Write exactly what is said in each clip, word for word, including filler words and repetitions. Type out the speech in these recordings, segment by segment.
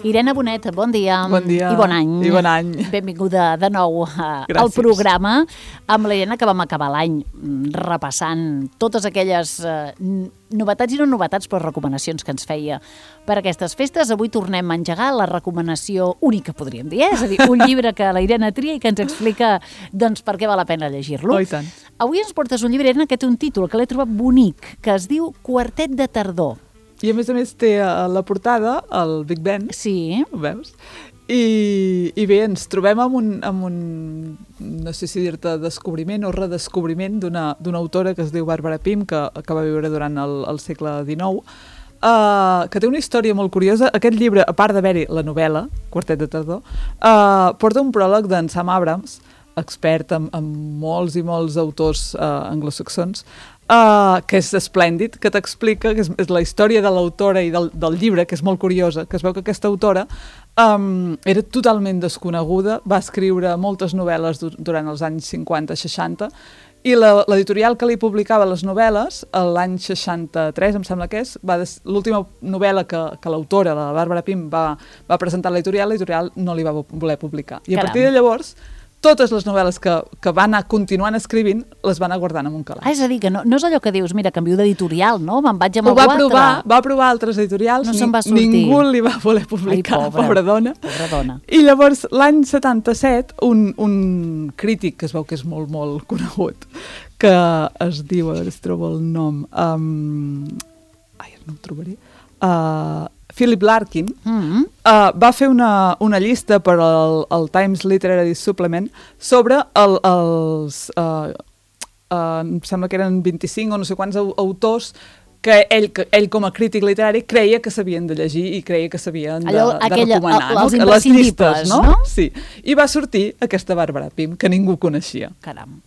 Irene Bonet, bon dia. Bon dia. I bon any. I bon any. Benvinguda de nou al programa amb l'Irene, que vam acabar l'any repassant totes aquelles eh, novetats i no novetats, però recomanacions que ens feia per aquestes festes. Avui tornem a engegar la recomanació única, podríem dir, eh? És a dir, un llibre que la Irene tria i que ens explica doncs, per què val la pena llegir-lo. Oh, i tant. Avui ens portes un llibre, Irene, que té un títol que l'he trobat bonic, que es diu Quartet de tardor. I a més a més té a la portada el Big Ben. Sí. Ho veus? I, i bé, ens trobem amb un, amb un no sé si dir-te descobriment o redescobriment d'una d'una autora que es diu Barbara Pym, que, que va viure durant el, el segle dinou, uh, que té una història molt curiosa. Aquest llibre, a part d'haver-hi la novel·la, Quartet de tardor, uh, porta un pròleg d'en Sam Abrams, expert en, en molts i molts autors uh, anglosaxons, Uh, que és esplèndid, que t'explica que és, és la història de l'autora i del, del llibre, que és molt curiosa, que es veu que aquesta autora um, era totalment desconeguda, va escriure moltes novel·les du durant els anys cinquanta seixanta, i l'editorial que li publicava les novel·les, l'any seixanta-tres, em sembla que és, l'última novel·la que, que l'autora, la Barbara Pym, va, va presentar a l'editorial, l'editorial no li va voler publicar. I a partir de llavors, totes les novel·les que, que va anar continuant escrivint les va anar guardant en un calaix. Ah, és a dir, que no, no és allò que dius, mira, canvio d'editorial, no? Me'n vaig amb algú altre. Provar, va provar altres editorials, no se'n va sortir. Ningú li va voler publicar, Ai, pobra, pobra dona. Pobra dona. I llavors, l'any setanta-set, un, un crític, que es veu que és molt, molt conegut, que es diu, a veure si trobo el nom, um, ai, no ho trobaré, uh, Philip Larkin, mm-hmm. uh, va fer una, una llista per al, al Times Literary Supplement sobre el, els, uh, uh, em sembla que eren vint-i-cinc o no sé quants autors que ell, que ell com a crític literari creia que s'havien de llegir i creia que s'havien de, Allò, de aquella, recomanar. El, els no? Les llistes, no? no? Sí. I va sortir aquesta Barbara Pym, que ningú coneixia. Caram.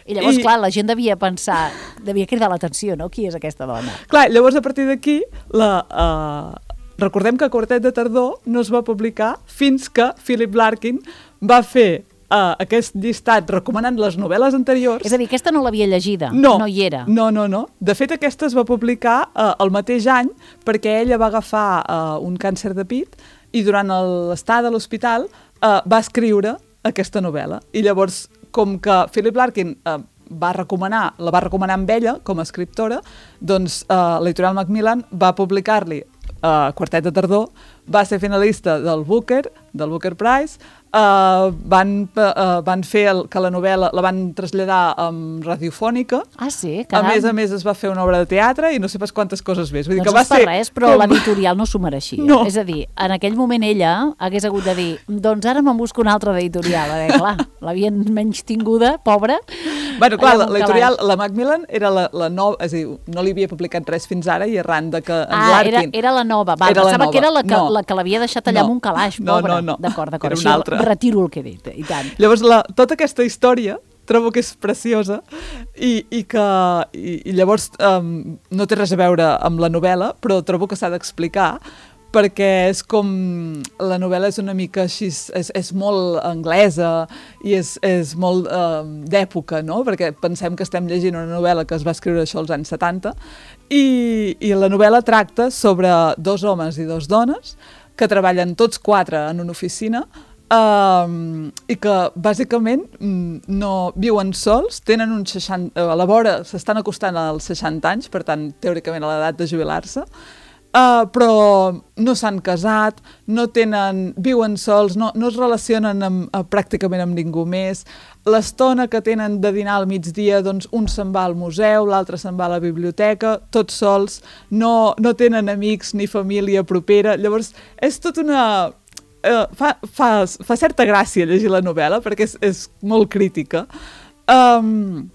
I llavors, I, clar, la gent devia pensar, devia cridar l'atenció, no? Qui és aquesta dona? Clar, llavors a partir d'aquí, la... Uh, recordem que Quartet de tardor no es va publicar fins que Philip Larkin va fer uh, aquest llistat recomanant les novel·les anteriors. És a dir, aquesta no l'havia llegida, no, no hi era. No, no, no. De fet, aquesta es va publicar uh, el mateix any perquè ella va agafar uh, un càncer de pit i durant l'estada a l'hospital uh, va escriure aquesta novel·la. I llavors, com que Philip Larkin... Uh, va recomanar, la va recomanar amb ella com a escriptora, doncs uh, l'editorial Macmillan va publicar-li uh, Quartet de tardor, va ser finalista del Booker, del Booker Prize, uh, van, uh, van fer el, que la novel·la la van traslladar um, radiofònica. Ah, sí? Caram. A més a més es va fer una obra de teatre i no sé pas quantes coses més. Vull dir doncs que va no ser res, però com... l'editorial no s'ho mereixia. No. És a dir, en aquell moment ella hagués hagut de dir, doncs ara me'n busco una altra d'editorial. Eh, clar, l'havien menys tinguda, pobra. Bueno, clar, l'editorial, la Macmillan era la, la nova, és a dir, no li havia publicat res fins ara i arran de que en ah, Larkin... Era, era la nova, va, era pensava nova. que era la que, no. la que l'havia deixat allà no. amb un calaix, no, pobra. No, no, d'acord, d'acord, era una altra. Retiro el que he dit, i tant. Llavors, la, tota aquesta història trobo que és preciosa i, i que i, i llavors um, no té res a veure amb la novel·la, però trobo que s'ha d'explicar perquè és com... La novel·la és una mica així, és, és molt anglesa i és, és molt eh, d'època, no? Perquè pensem que estem llegint una novel·la que es va escriure això als anys setanta i, i la novel·la tracta sobre dos homes i dos dones que treballen tots quatre en una oficina Um, i que bàsicament no viuen sols, tenen un seixanta, a la vora s'estan acostant als seixanta anys, per tant teòricament a l'edat de jubilar-se, uh, però no s'han casat, no tenen, viuen sols, no, no es relacionen amb, uh, pràcticament amb ningú més. L'estona que tenen de dinar al migdia, doncs un se'n va al museu, l'altre se'n va a la biblioteca, tots sols, no, no tenen amics ni família propera. Llavors és tot una... Uh, fa, fa, fa certa gràcia llegir la novel·la perquè és, és molt crítica um,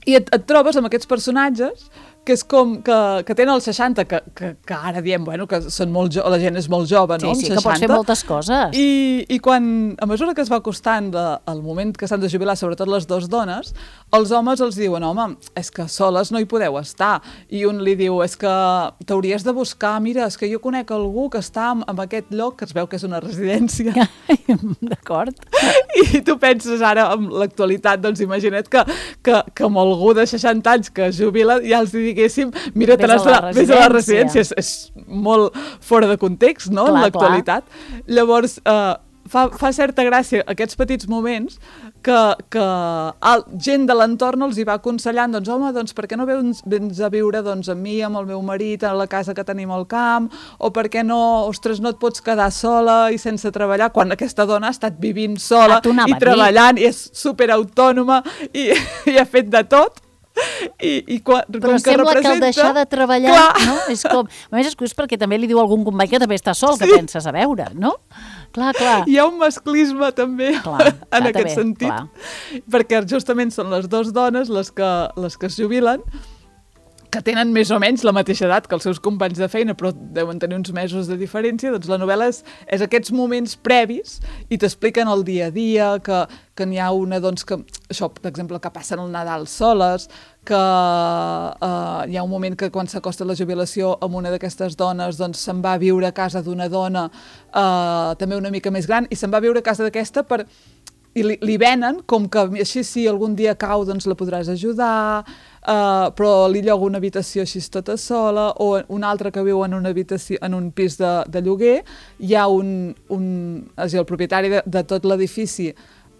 i et, et trobes amb aquests personatges que és com que, que tenen els seixanta, que, que, que ara diem, bueno, que són molt jo, la gent és molt jove, no? Sí, sí, que pots fer moltes coses. I, i quan, a mesura que es va acostant de, el moment que s'han de jubilar, sobretot les dues dones, els homes els diuen, home, és que soles no hi podeu estar. I un li diu, és que t'hauries de buscar, mira, és que jo conec algú que està en, en aquest lloc, que es veu que és una residència. D'acord. I tu penses ara, en l'actualitat, doncs imagina't que, que, que amb algú de seixanta anys que es jubila ja els digui diguéssim, mira, te n'has d'anar a la residència. És, és molt fora de context, no?, clar, en l'actualitat. Clar. Llavors, eh, fa, fa certa gràcia aquests petits moments que, que el, gent de l'entorn els hi va aconsellant, doncs, home, doncs, per què no vens, vens a viure doncs, amb mi, amb el meu marit, a la casa que tenim al camp, o per què no, ostres, no et pots quedar sola i sense treballar, quan aquesta dona ha estat vivint sola i treballant, i és superautònoma, i, i ha fet de tot. I, i quan, però com sembla que, representa... que el deixar de treballar, clar, no? És com... A més, és curiós perquè també li diu algun company que també està sol, sí, que penses a veure, no? Clar, clar. Hi ha un masclisme també, clar, en aquest bé, sentit, clar, perquè justament són les dues dones les que, les que es jubilen, que tenen més o menys la mateixa edat que els seus companys de feina, però deuen tenir uns mesos de diferència. Doncs la novel·la és, és aquests moments previs i t'expliquen el dia a dia, que, que n'hi ha una, doncs, que, això, per exemple, que passen el Nadal soles, que uh, hi ha un moment que quan s'acosta la jubilació amb una d'aquestes dones, doncs se'n va a viure a casa d'una dona uh, també una mica més gran, i se'n va a viure a casa d'aquesta per... i li, li venen com que així si algun dia cau doncs la podràs ajudar, uh, però li lloga una habitació així tota sola, o un altre que viu en una habitació, en un pis de, de lloguer, hi ha un, un és a dir, el propietari de, de tot l'edifici,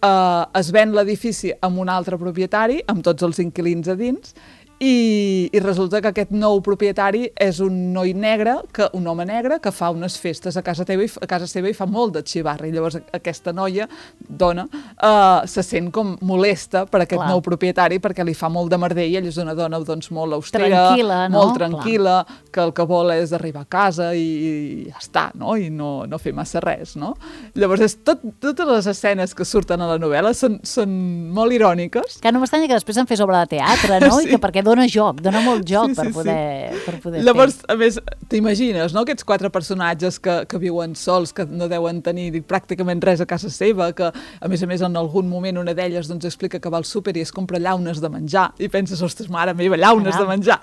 uh, es ven l'edifici amb un altre propietari, amb tots els inquilins a dins, I, i resulta que aquest nou propietari és un noi negre, que, un home negre que fa unes festes a casa, teva i, a casa seva i fa molt de xivarri. Llavors aquesta noia, dona, uh, se sent com molesta per aquest Clar. nou propietari perquè li fa molt de merder i ell és una dona doncs, molt austera, tranquil·la, no? molt tranquil·la, Clar. que el que vol és arribar a casa i, i ja està, no? I no, no fer massa res, no? Llavors és tot, totes les escenes que surten a la novel·la són, són molt iròniques. Que no m'estranya que després en fes obra de teatre, no? Sí. I que perquè dona joc, dona molt joc sí, sí, per poder, sí. per poder Llavors, fer. a més, t'imagines, no?, aquests quatre personatges que, que viuen sols, que no deuen tenir pràcticament res a casa seva, que a més a més en algun moment una d'elles doncs, explica que va al súper i es compra llaunes de menjar i penses, ostres, mare meva, llaunes Caram. de menjar.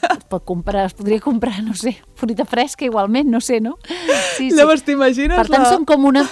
Es pot comprar, es podria comprar, no sé, fruita fresca igualment, no sé, no? Sí, sí. Llavors t'imagines... Per tant, la... són com una...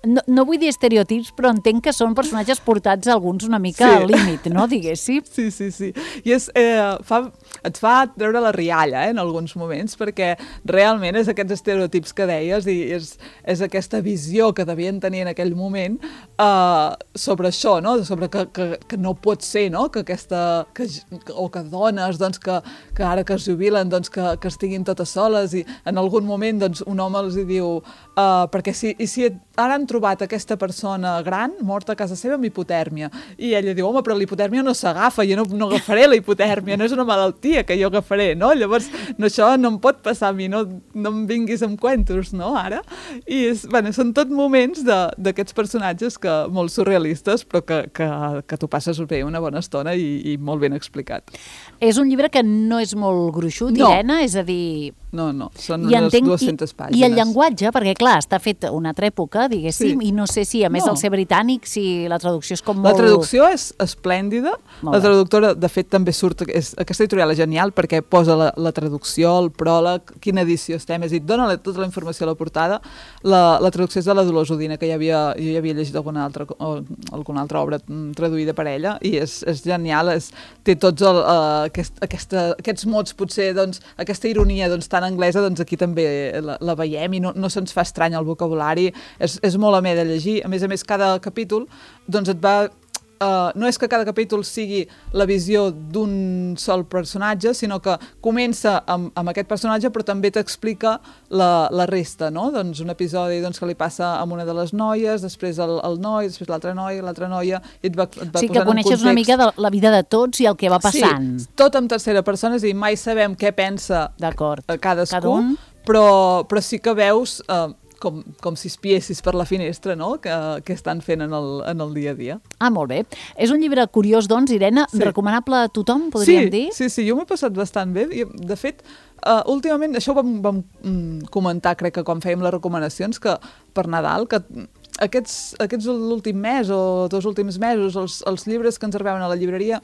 No, no vull dir estereotips, però entenc que són personatges portats alguns una mica sí. al límit, no, diguéssim? Sí, sí, sí. I és, eh, fa, et fa treure la rialla eh, en alguns moments, perquè realment és aquests estereotips que deies i és, és aquesta visió que devien tenir en aquell moment eh, sobre això, no? Sobre que, que, que no pot ser, no? Que aquesta... Que, o que dones, doncs, que, que ara que es jubilen, doncs, que, que estiguin totes soles i en algun moment doncs, un home els hi diu eh, perquè si, i si ara han trobat aquesta persona gran morta a casa seva amb hipotèrmia. I ella diu, home, però la hipotèrmia no s'agafa, jo no, no agafaré la hipotèrmia, no és una malaltia que jo agafaré, no? Llavors, no, això no em pot passar a mi, no, no em vinguis amb cuentos, no, ara? I és, bueno, són tot moments d'aquests personatges que, molt surrealistes, però que, que, que tu passes bé una bona estona i, i molt ben explicat. És un llibre que no és molt gruixut, no. Irene, és a dir... No, no, són I unes entenc, dues-centes pàgines. I el llenguatge, perquè clar, està fet una altra època, diguéssim, sí. i no sé si, a més no. del ser britànic, si la traducció és com molt... La traducció és esplèndida, molt la traductora, de fet, també surt... És, aquesta editorial és genial perquè posa la, la traducció, el pròleg, quina edició estem, és a dir, dona tota la informació a la portada. La, la traducció és de la Dolors Udina, que ja havia, jo ja havia llegit alguna altra, alguna altra obra traduïda per ella, i és, és genial, és, té tots el, uh, aquest, aquesta, aquests mots, potser, doncs, aquesta ironia, doncs, tan anglesa, doncs aquí també la, la veiem i no, no se'ns fa estrany el vocabulari, és, és molt amè de llegir. A més a més, cada capítol doncs et va... Uh, no és que cada capítol sigui la visió d'un sol personatge, sinó que comença amb, amb aquest personatge, però també t'explica la, la resta, no? Doncs un episodi doncs, que li passa amb una de les noies, després el, el noi, després l'altra noia, l'altra noia, i et va, et va sí, que coneixes una mica de la vida de tots i el que va passant. Sí, tot en tercera persona, és a dir, mai sabem què pensa cadascú, Cada un. però, però sí que veus... Uh, Com, com si espiessis per la finestra, no?, que, que estan fent en el, en el dia a dia. Ah, molt bé. És un llibre curiós, doncs, Irene, sí. recomanable a tothom, podríem sí, dir? Sí, sí, jo m'he passat bastant bé. I, de fet, uh, últimament, això ho vam, vam mm, comentar, crec que quan fèiem les recomanacions, que per Nadal, que aquests, aquests l'últim mes o dos últims mesos, els, els llibres que ens arribaven a la llibreria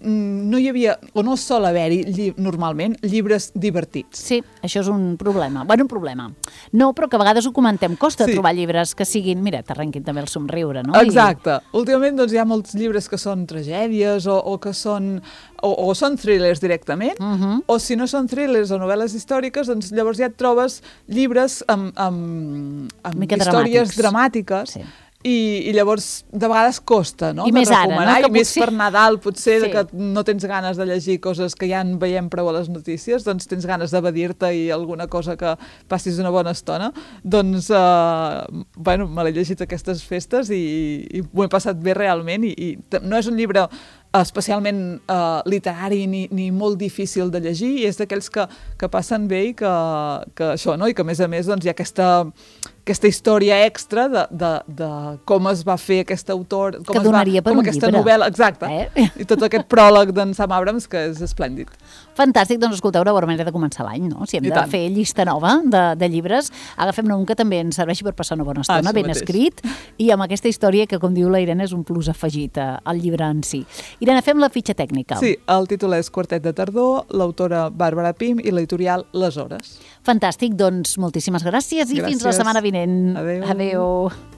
no hi havia, o no sol haver-hi lli normalment, llibres divertits. Sí, això és un problema. Bueno, un problema. No, però que a vegades ho comentem. Costa Sí. trobar llibres que siguin... Mira, t'arrenquin també el somriure, no? Exacte. I... Últimament doncs, hi ha molts llibres que són tragèdies o, o que són... O, o són thrillers directament, Uh -huh. o si no són thrillers o novel·les històriques, doncs llavors ja et trobes llibres amb, amb, amb Mica històries dramàtics. dramàtiques. Sí. I, i llavors de vegades costa, no? I més de ara, recomanar, no? Que I més potser- per Nadal, potser, Sí. de que no tens ganes de llegir coses que ja en veiem prou a les notícies, doncs tens ganes d'evadir-te i alguna cosa que passis una bona estona. Doncs, eh, bueno, me l'he llegit aquestes festes i, i m'ho he passat bé realment i, i t- no és un llibre especialment eh, literari ni, ni molt difícil de llegir i és d'aquells que, que passen bé i que, que això, no? I que a més a més doncs, hi ha aquesta, aquesta història extra de, de, de com es va fer aquest autor, com Que es donaria va, per com un aquesta llibre. novel·la, exacte, Eh? i tot aquest pròleg d'en Sam Abrams que és esplèndid. Fantàstic, doncs escolteu, una bona manera de començar l'any, no? Si hem I de tant. fer llista nova de, de llibres, agafem-ne un que també ens serveixi per passar una bona estona, Això ben mateix. escrit, i amb aquesta història que, com diu la Irene, és un plus afegit eh, al llibre en si. Irene, fem la fitxa tècnica. Sí, el títol és Quartet de tardor, l'autora Bàrbara Pym i l'editorial Les Hores. Fantàstic, doncs moltíssimes gràcies i fins la Gràcies. setmana vinent. Adéu. Adéu.